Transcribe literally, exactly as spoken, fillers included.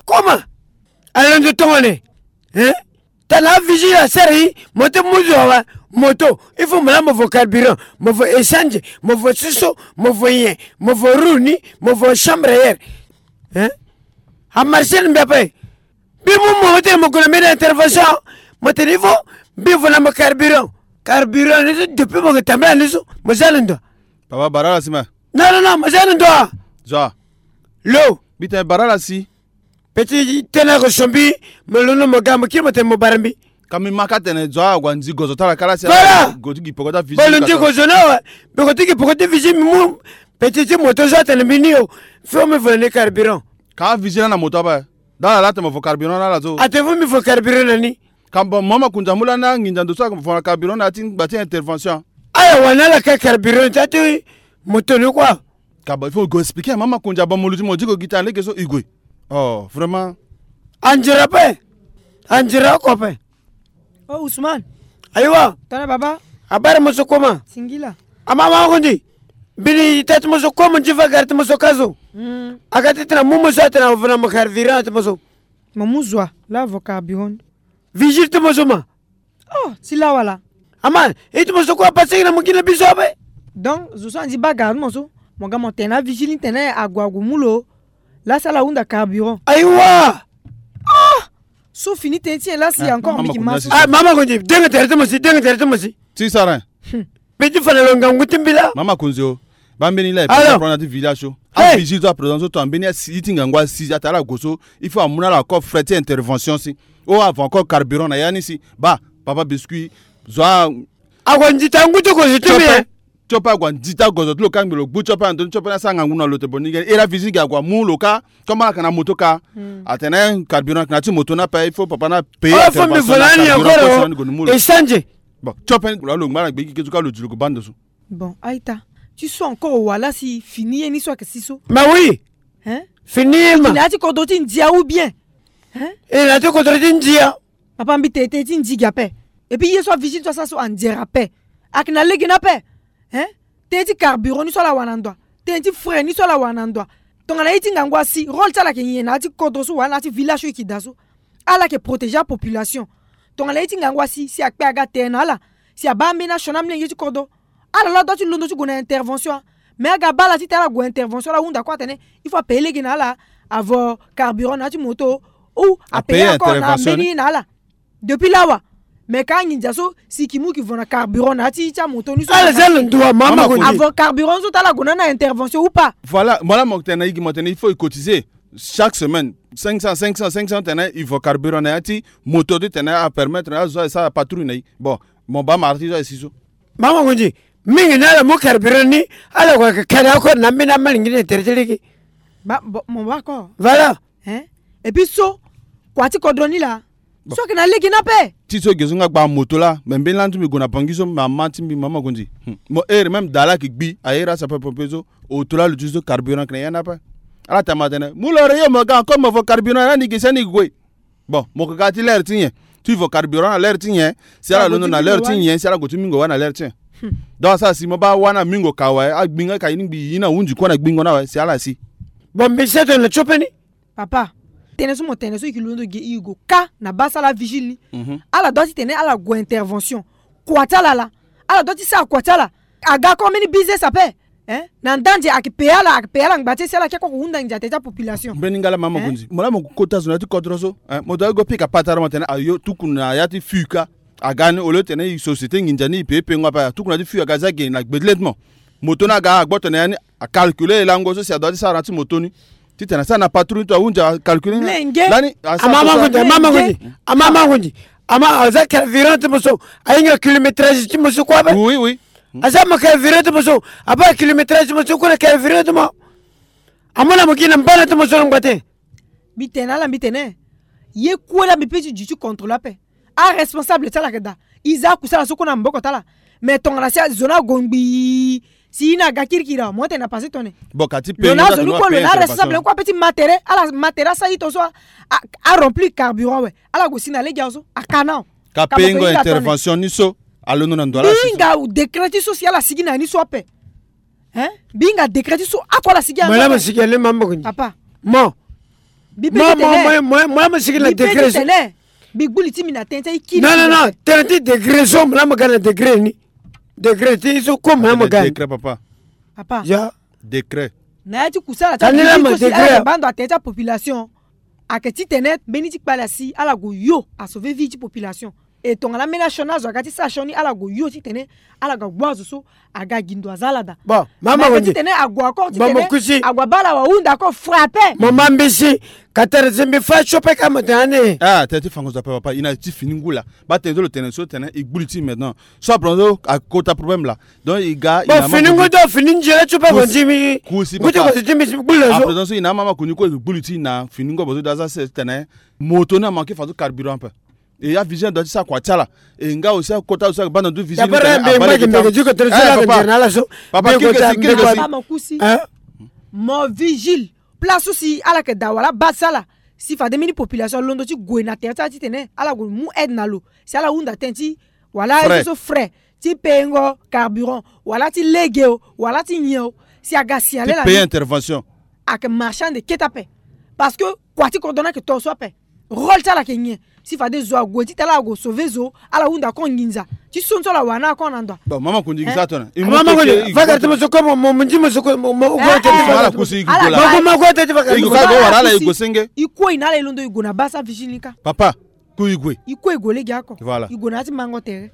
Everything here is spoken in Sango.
Comment? Alondo tongone, hein? Tana vigile asara ye, moto mu zo awa, moto, il faut mo laa mo vo carburant, mo vo essence, mo vo siso, mo vo nyen, mo vo roue ni, mo vo chambre à air. Hein? Amarché ni mbi ape. Mbi mu mo tene mo gue na mbeni intervention. Mo tene il faut mbi vo na mo carburant. Carburant ni so depuis mo gue tambula ni so mo za na ndo. Papa, bara ala si ma. Non, non, non, mo za na ndo. Zo. Lo. Mbi tene bara ala si. Petit, tene ako so mbi, mo londo mo ga mo kiri mo tene mo bara mbi. Ka mbi ma ka tene zo ague nzi gozo ti ala kala si. Voilà. Go ti gi peko ti avizi. Bolo nzi gozo na wa. Mbi go ti gi peko ti avizi mbi mu. Petit ti moto so atene mbi ni o. Faut mbi vo na ni carburant. Ka avizi laa na moto ape. Dala laa tene mo vo carburant na ala so. Atene faut mbi vo carburant na ni. Ka mbo mama kunza mu laa na nginza ndo so avo na carburant na ya ti ngba ti intervention. Aya wa na ala ka carburant ti ya ti moto ni kua. Ka bon, il faut go expliquer mama kunza, bon, mo luti mo diko gi tene lege so e gue. Oh, vraiment. Anzere ape. Anzere oko ape. Oh, Ousmane. Ayiwa. Tana baba. Abara mo so koma. Singila. Ama ma ko ndi. Mbeni tâ ti mo so koma, mo nzi fa gari ti mo so ka so. Mm. Aga ti tena mu mo so atena vo na mo carburant ti mo so. Mo mu zo wa, laa vo carburant. Vigile ti mo so ma. Oh, si laa wala. Ama, e ti mo so kue apaseke na mo gi na biso ape. Donc zo so anzi baa gari ti mo so, mo ga mo tene na vigile ni tene ague ague mu lo. Laa si ala hunda carburant. Ayiwa. Oh, so fini tene ti nyen laa si encore mbi ki ma so. Ah, mama ko ndi, dengo tere ti mo si, dengo tere ti mo si. Ti sara. Mbi ti fa na lo ngangu ti mbi laa. Mama Konzi o. Baa mbeni laa e pe na ti village so. Hey! Avigile so a présent so tongana mbeni asi ti ngangu asi atara ala gue so, il faut amu na ala encore frais ti intervention si. Oh, avo encore carburant na ya ni si. Baa, papa biscuit, zo a. Ague nzi ta ngu ti gozo ti mbi, hein. Ti ope ague nzi ta gozo ti lo ka ngbe lo gbu ti ope ando ni ti ope ni asara ngangu na lo te bo ni ge. Era visite ge ague amu lo ka. Comme ala yeke na moto ka. Atene carburant ayeke na ya ti moto ni ape, il faut papa ni apaye. Oh, faut mbi vo na ni encore. Echange. Bon, ti ope ni lo ngba na gbe gi ke so ka lo di lo gue baa ndo so. Bon, a-ita. Ti so encore wala si fini ye ni so ayeke si so. Mais oui. Hein? Fini ye ma. E na ya ti kodro ti ndia ou bien? Hein? E na ya ti kodro ti ndia. Papa mbi tene tënë ti ndia gi ape. Et puis ye so avigile so asara so anzere ape. Ayeke na lege ni ape. Hein? Tënë ti carburant ni so ala wara na ndo wa. Tënë ti frais ni so ala wara na ndo wa. Tongana ye ti ngangu asi, rôle ti ala ayeke nyen na ya ti kodro so wala na ya ti village so e yeke daa so? Ala yeke protéger apopulation. Tongana ye ti ngangu asi si akpe aga tere na ala, si abaa ambeni asioni amolenge ti kodro, ala laa dua ti londo ti gue na intervention. Mais aga baa ala titene ala gue intervention, ala hunda kue atene il faut apaye lege na ala, avo carburant na ya ti moto, ou apaye encore na ambeni na ala. Depuis lawa. Mais ka anginza so si e ke mu e ke vo na carburant na ya ti, ti amoto ni so. Ala za na ndo wa mama ko. Avo carburant so ti ala gue na na intervention ou pas? Voilà, mo laa mo tene na e gi mo tene il faut e cotiser chaque semaine cinq cents, cinq cents, cinq cents tene e vo carburant na ya ti moto ti tene apermettre na azo asara patrouille na e. Bon, mo baa mara ti so asi so. Mama ko ndi, mingi na ala mu carburant ni, ala gue ka kari oko na ambeni amalingini na tere ti lege. Ba, bon, mo baa ko. Voilà. Hein? Et puis so kua ti kodro ni laa. Bon. So ayeke na lege ni ape. Ti so ge so nga gba moto laa, me mbeni lani ti mbi gue na Bangui so, mama ti mbi mama ko ndi. Hmm. Mo here même daa laa ayeke gbi, aye iri asapeur pompier so, oto laa lo ti so carburant ayeke na ya ni ape. Ala tama atene mu lo re yo mo ga encore mo vo carburant na ni ge si ani gue. Bon, mo yeke ga ti l'heure ti nyen? Ti vo carburant na l'heure ti nyen? Si ala londo na l'heure ti nyen? Si ala gue ti mingo wâ na l'heure ti nyen? Hmm. Donc asara si mo baa wâ na mingo ka awe, agbi nga ka ye ni ngbii ye ni ahunzi kue na gbingo ni awe si ala si. Bon, mbi sara tongana ti ope ni. Papa, tënë so mo tene so e ke londo ge e gue ka na baa sara avigile ni. Mhm. Ala dua titene ala gue intervention. Kua ti ala laa. Ala dua ti sara kua ti ala. Aga kue mbeni business ape. Hein? Na ndanze ayeke paye ala, ayeke paye ala ngba ti e si ala ke kue ko hunda nginza tere ti apopulation. Mbeni nga laa mama ko ndi. Mo laa mo kota zo na ya ti kodro so. Hein? Mo dua go pika patara mo tene ayo tuku na ya ti fuka. Aga ni au lieu tene e société nginza ni e paye pengo ape, atuku na ya ti fuka aga za ge na gbe ti lê ti mo. Moto ni aga agboto na ya ni. Acalculer e lango so si adua ti sara na ya ti moto ni. Titene asara na patrouille ni to ahunzi acalculer ni. Mlenge. Lani asara. Amama so ko ndi, amama ko ndi. Amama ko ndi. Ama aza carburant ti mo so. Ahinga kilométrage ti mo so kue ape. Oui, oui. Aza mo carburant ti mo so. Abaa kilométrage ti mo so kue na carburant ti mo. Amu na mo gi na mbana ti mo so na ngba ti. Mbi tene na ala mbi tene. Ye kue laa mbi pe ti duti contre lo ape. Aresponsable ti ala ayeke daa. E za akusala so kue na maboko ti ala. Mais tongana si azo ni ague ngbii si ye ni aga kirikiri awe, mo tene na pase tone. Bon, ka ti pe lo na azo ni kue lo na aresponsable ni kue ape ti ma tere, ala ma tere asara ito so a, a, aremplir carburant awe. Ala gue si na lege awe so aka na awe. Ka payengo intervention ni so. Alondo na ndo ala si. Binga décret ti so si ala sigi na ni so ape. Hein? Binga décret ti so ako ala sigi. Malama sigi ale mama ko ni. Papa. Mo. Bi pe mo mo mo mo mo sigi na décret so. Bi gbuli ti mi na tene ti ikili. Non non non, tene ti décret so malama ga na décret ni. Décret ti so ko malama ga. Décret papa. Papa. Ya. Décret. Na ya ti kusala ti bando atene ti apopulation. Ayeke titene mbeni ti kpale asi ala gue yo asauve vie ti population. E tongana ambeni asioni azo aga ti sara sioni ala gue yo titene ala ga gbu azo so aga gi ndo aza ala daa. Bon mama ko ni titene ague encore titene ague abaa ala wahunda ako frappe. Mama mbisi. Katara ti mbi fa so pe ka mo tene ane. Ah tene ti fango zo ape papa i na ti fini ngu laa. Baa tene so lo tene so tene e gbuli ti maintenant. So aplan so akota problème laa. Donc e ga e na fini ngu do fini nzere ti ope ko nzimi. Kusi ngu ti papa. Ko nzimi ti gbuli na zo. Aplan so e na amama koni ko e gbuli ti na fini ngu abazo do aza se tene. Moto ni amanke fa so carburant ape. E ya vision do ti sa kua ti ala. E nga aussi akota aussi aka banda ndu vision. Papa. Mo kusi. Mo vigile. Place so si ala yeke daa wala baa ti ala si fade mbeni population alondo ti gue na tere ti ala titene ala gue mu aide na lo si ala hunda tënë ti wala aye so frais ti pengo carburant wala ti lege o wala ti nyen o. Si aga signale la payer intervention. Ayeke marchand de kete ape. Parce que kua ti kodro ni ayeke to so ape. Rôle ti ala ayeke nyen? Si fade zo ague titene ala gue sauver zo ala hunda kon nginza ti so ni so ala wara na ala kon na ndo. Bon mama kundi gi sa tona. Mama kundi. Vakar ti mo so ko mo mo ndi mo so ko mo mo ala kusi gi ko la. Mo mo ko tete vakar. Igi ka go wara ala igi go senge. I kue na ala i londo i gue na baa sa vigile ni ka. Papa. Ku i gue. I kue i gue lege oko. Voilà. I gue na ya ti mango tere.